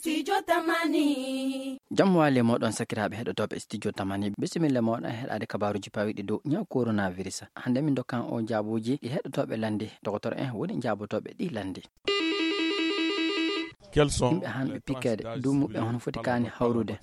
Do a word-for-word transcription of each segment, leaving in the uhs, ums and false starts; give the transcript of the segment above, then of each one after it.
Studio Tamani. Jam waali e mooɗon, sakiraaɓe heɗotooɓe Studio Tamani. Bisimilla mooɗon e heɗaade kabaaruuji pawiiɗi dow ñaw coronavirus. Hannde min ndokkan on jaabuuji ɗi heɗotooɓe lanndi. Doktor en woni jaabotooɓe ɗi lanndi. Yimɓe han ɓe pikkeede, duumuɓe hono foti kaani hawrude?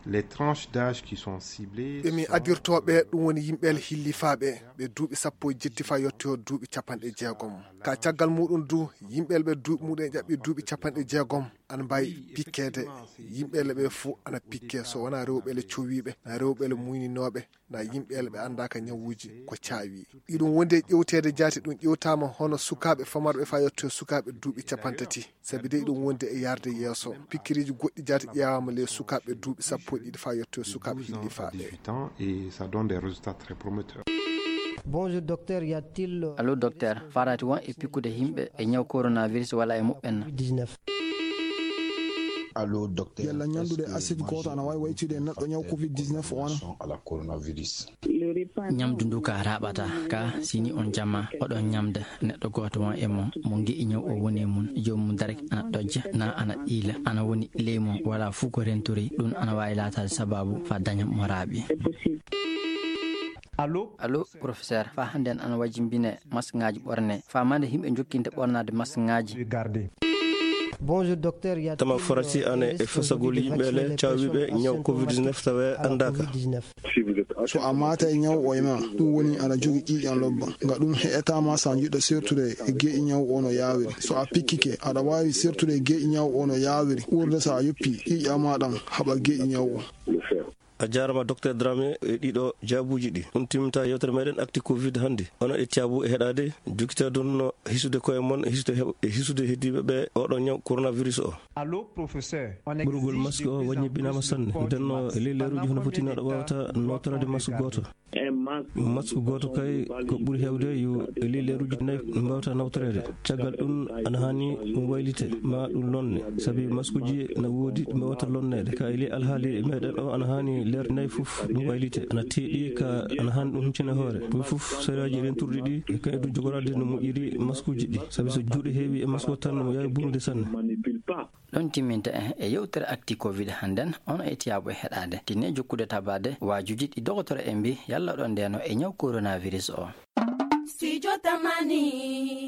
Les tranches d'âge qui sont ciblées. Ɓe min adirtooɓe, ɗum woni yimɓe el hillifaaɓe, ɓe duuɓi sappo e jetti faa yotti ho duuɓi capanɗe jeegom. Ka caggal muɗum du, yimɓe el ɓe duuɓi muɗum e ƴaɓɓi duuɓi capanɗe jeegom, ana mbaawi pikkeede. Yimɓe el ɓe fof ana pikke, so wonaa rewɓe el cowiiɓe, na rewɓe el muyninooɓe, na yimɓe el ɓe anndaaka ñawuuji ko caawi. Iɗum wondi e ƴewteede jaati, ɗum ƴewtaama hono sukaaɓe famarɓe faa yotti ho sukaaɓe duuɓi capantati. Sabi de iɗum wondi e yarde yeeso. Pikkiriiji goɗɗi jaati ƴeewaama ley sukaaɓe duuɓi sappo e ɗiɗi faa yottoya sukaaɓe hillifaaɓe. Dix-huit ans et ça donne des résultats très prometteurs. Bonjour docteur, y a-t-il... Allo docteur, faaraati won e pikkude yimɓe e ñaw coronavirus walla e muɓɓen? Allo docteur, yalla ñamdude acide gooto ana waawi waytude e neɗɗo ñaw covid dix-neuf o wano? Ñamdu ndu ka raaɓata ka, si ni on jama oɗon ñamda neɗɗo gooto won e mon mo nge'i ñaw o woni e mun, joomum direct ana ɗojja, na ana ɗiila, ana woni ley mon, wala fuu ko rentori, ɗum ana waawi laataade sabaabu faa daña mo raaɓi. Allo? Allo, professeur, faa hannde en ana wajimbine maskŋaaji ɓorne, faa mande yimɓe jokkinta ɓornaade maskŋaaji. Bonjour docteur, y a... Tama farasi ane e fasagol yimɓe le caawiɓe ñaw covid dix-neuf tawe anndaaka. So a maata e ñaw o e ma, ɗum woni aɗa jogii ƴiiƴan lobba. Nga ɗum heƴataa ma so a jiɗɗo sertude e geeƴi ñaw o no yaawiri. So a pikkike, aɗa waawi sertude e geeƴi ñaw o no yaawiri, ɓurde so a yoppii ƴiiƴan ma ɗan haɓa geeƴi ñaw o. A jaarama, Docteur Dramé, e ɗiɗo jaabuuji ɗi. Ɗum timminta yewtere meɗen Actu Covid hannde. Onon e caabu e heɗaade, jokkitaa ɗum no hisude koye mon, e hisude heɓ-, e hisude heddiiɓe ɓe oɗo ñaw coronavirus o. Allo, professeur. Ɓurgol masque o wañibbinaama sanne. Nden no e ley leeruuji hono foti no aɗa waawata nootoraade masque gooto. Masque gooto kay ko ɓuri heewde yo e ley leeruuji nayi mbawta nawtoreede. Caggal ɗum ana haani ɗum waylite, ma ɗum lonne. Sabi maskuuji na woodi ɗi mbawata lonneede. Ka e ley alhaali meɗen o ana haani leer nayi fof ɗum waylite. Ana teeɗi ka ana haani ɗum huccine hoore. Ɗum fof sariyaaji renturɗi ɗi, e kay ɗum jogoraade no moƴƴiri maskuuji ɗi. Sabi so juuɗe heewi e masque o tan, no yaawi bonude sanne. Ɗon timminta en e yewtere Actu Covid hannden, on e tiyaabu e heɗaade. Tinne jokkude tabaade waajuuji ɗi dogotoro en mbi yalla ɗon ndeeno e ñaw coronavirus o. Studio Tamani.